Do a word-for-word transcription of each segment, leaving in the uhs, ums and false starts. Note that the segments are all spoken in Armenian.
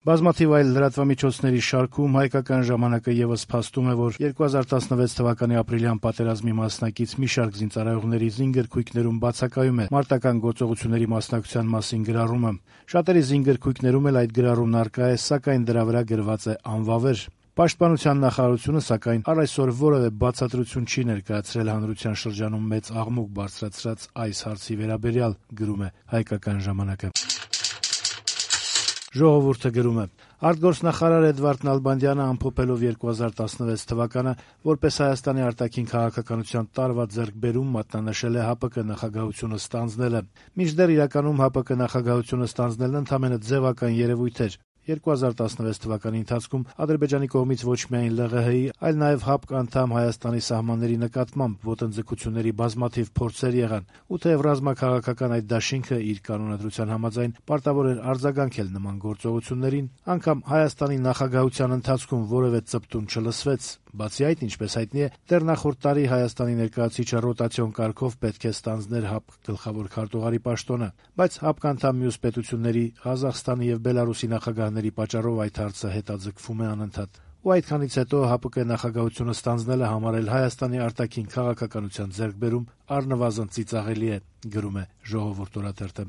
Բազմաթիվ այլ լրատվամիջոցների շարքում «Հայկական ժամանակը» ևս փաստում է, որ երկու հազար տասնվեց թվականի ապրիլյան պատերազմի մասնակից մի շարք զինծառայողների զինգրքույկներում բացակայում է մարտական գործողությունների մասնակցության մասին գրառումը։ Շատերի զինգրքույկներում էլ այդ գրառումն առկա է, սակայն դրա վրա գրված է անվավեր։ Պաշտպանության նախարարությունը, սակայն, առ այսօր որևէ բացատրություն չի ներկայացրել հանրության շրջանում մեծ աղմուկ բարձրացրած այս հարցի վերաբերյալ, գրում է «Հայկական ժամանակը»։ Ժողովուրդը գրում է. Արտգործնախարար Էդվարդ Նալբանդյանը ամփոփելով երկու հազար տասնվեց թվականը որպես Հայաստանի արտաքին քաղաքականության տարվա ձեռքբերում մատնանշել է ՀԱՊԿ նախագահությունը ստանձնելը։ Մինչդեռ իրականում ՀԱՊԿ նախագահությունը ստանձնելն ընդամենը ձևական երևույթ էր։ երկու հազար տասնվեց թվականի ընթացքում Ադրբեջանի կողմից ոչ միայն ԼՂՀ-ի, այլ նաև ՀԱՊԿ անդամ Հայաստանի սահմանների նկատմամբ ոտնձգությունների բազմաթիվ փորձեր եղան, ու թեև ռազմաքաղաքական այդ դաշինքը իր կանոնադրության համաձայն պարտավոր էր արձագանքել նման գործողություններին, անգամ Հայաստանի նախագահության ընթացքում որևէ ծպտուն չլսվեց։ Բացի այդ, ինչպես հայտնի է, դեռ նախորդ տարի Հայաստանի ներկայացուցիչը ռոտացիոն կարգով պետք է ստանձներ ՀԱՊԿ գլխավոր քարտուղարի պաշտոնը, բայց ՀԱՊԿ անդամ մյուս պետությունների Ղազախստանի եւ Բելարուսի նախագահների պատճառով այդ հարցը հետաձգվում է անընդհատ։ Ու այդքանից հետո ՀԱՊԿ նախագահությունը ստանձնելը համարել Հայաստանի արտաքին քաղաքականության ձեռքբերում առնվազն ծիծաղելի է, գրում է «Ժողովուրդ» օրաթերթը։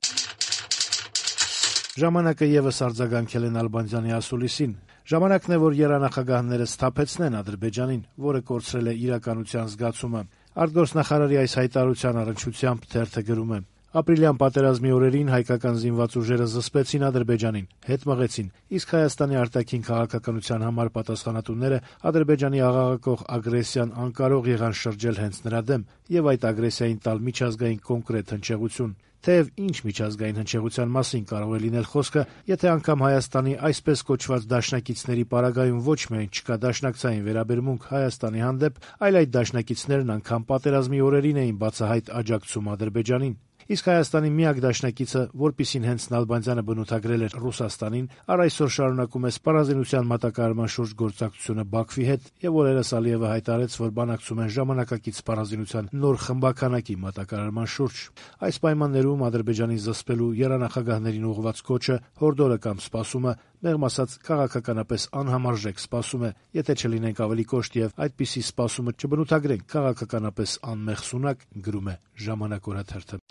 «Ժամանակը» ևս արձագանքել է Նալբանդյանի ասուլիսին։ Ժամանակն է, որ եռանախագահները սթափեցնեն Ադրբեջանին, որը կորցրել է իրականության զգացումը։ Արտգործնախարարի այս հայտարարության առնչությամբ թերթը գրում է. Ապրիլյան պատերազմի օրերին հայկական զինված ուժերը զսպեցին Ադրբեջանին, հետ մղեցին, իսկ Հայաստանի արտաքին քաղաքականության համար պատասխանատուները Ադրբեջանի աղաղակող ագրեսիան անկարող եղան շրջել հենց նրա դեմ եւ այդ ագրեսիային տալ միջազգային կոնկրետ հնչեղություն։ Թեև ինչ միջազգային հնչեղության մասին կարող է լինել խոսքը, եթե անգամ Հայաստանի այսպես կոչված դաշնակիցների պարագայում ոչ միայն չկա դաշնակցային վերաբերմունք Հայաստանի հանդեպ, այլ այդ դաշնակիցներն անգամ պատերազմի օրերին էին բացահայտ աջակցում Ադրբեջանին։ Իսկ Հայաստանի միակ դաշնակիցը, որպիսին հենց Նալբանդյանը բնութագրել էր Ռուսաստանին, առ այսօր շարունակում է սպառազինության մատակարարման շուրջ գործակցությունը Բաքվի հետ եւ օրերս Ալիևը հայտարարեց, որ բանակցում են ժամանակակից սպառազինության նոր խմբականակի մատակարարման շուրջ։ Այս պայմաններում Ադրբեջանի զսպելու եռանախագահներին ուղղված կոչը, հորդորը կամ սպասումը, մեղմ ասած, քաղաքականապես անհամարժեք սպասում է, եթե չլինենք ավելի կոշտ եւ այդպիսի սպասումը չբնութագրենք քաղաքականապես անմեղսունակ, գրում է «Ժամանակ» օրաթերթը։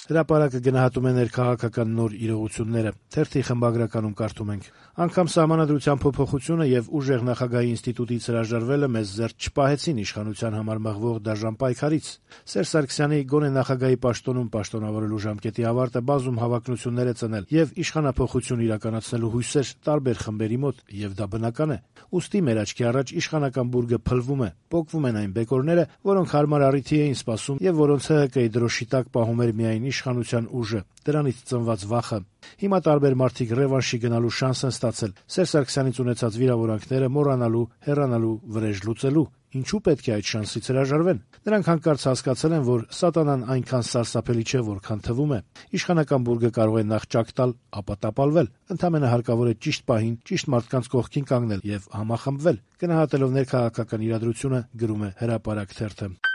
Հրապարակը գնահատում է ներքաղաքական նոր իրողությունները։ Թերթի խմբագրականում կարդում ենք. Անգամ սահմանադրության փոփոխությունը եւ ուժեղ նախագահի ինստիտուտից հրաժարվելը մեզ զերծ չպահեցին իշխանության համար մղվող դաժան պայքարից։ Սերժ Սարգսյանի գոնե նախագահի պաշտոնում պաշտոնավորելու ժամկետի ավարտը բազում հավակնություններ է ծնել եւ իշխանափոխություն իրականացնելու հույսեր տարբեր խմբերի մոտ, եւ դա բնական է։ Ուստի մեր աչքի առաջ իշխանական բուրգը փլվում է, պոկվում են այն բեկորները, որոնք հարմար առիթի էին սպասում եւ որոնց ՀՀԿ-ի դրոշի տակ պահում էր միայն իշխանության ուժը, դրանից ծնված վախը։ Հիմա տարբեր մարդիկ ռևանշի գնալու շանս են ստացել, Սերժ Սարգսյանից ունեցած վիրավորանքները մոռանալու, հեռանալու, վրեժ լուծելու։ Ինչու պետք է այդ շանսից հրաժարվեն։ Նրանք հանկարծ հասկացել են, որ սատանան այնքան սարսափելի չէ, որքան թվում է։ Իշխանական բուրգը կարող է նախ ճակ տալ, ապա տապալվել։ Ընդամենը հարկավոր է ճիշտ պահին, ճիշտ մարդկանց կողքին կանգնել եւ համախմբվել, գնահատելով ներքաղաքական իրադրությունը, գրում է Հրապարակ թերթը։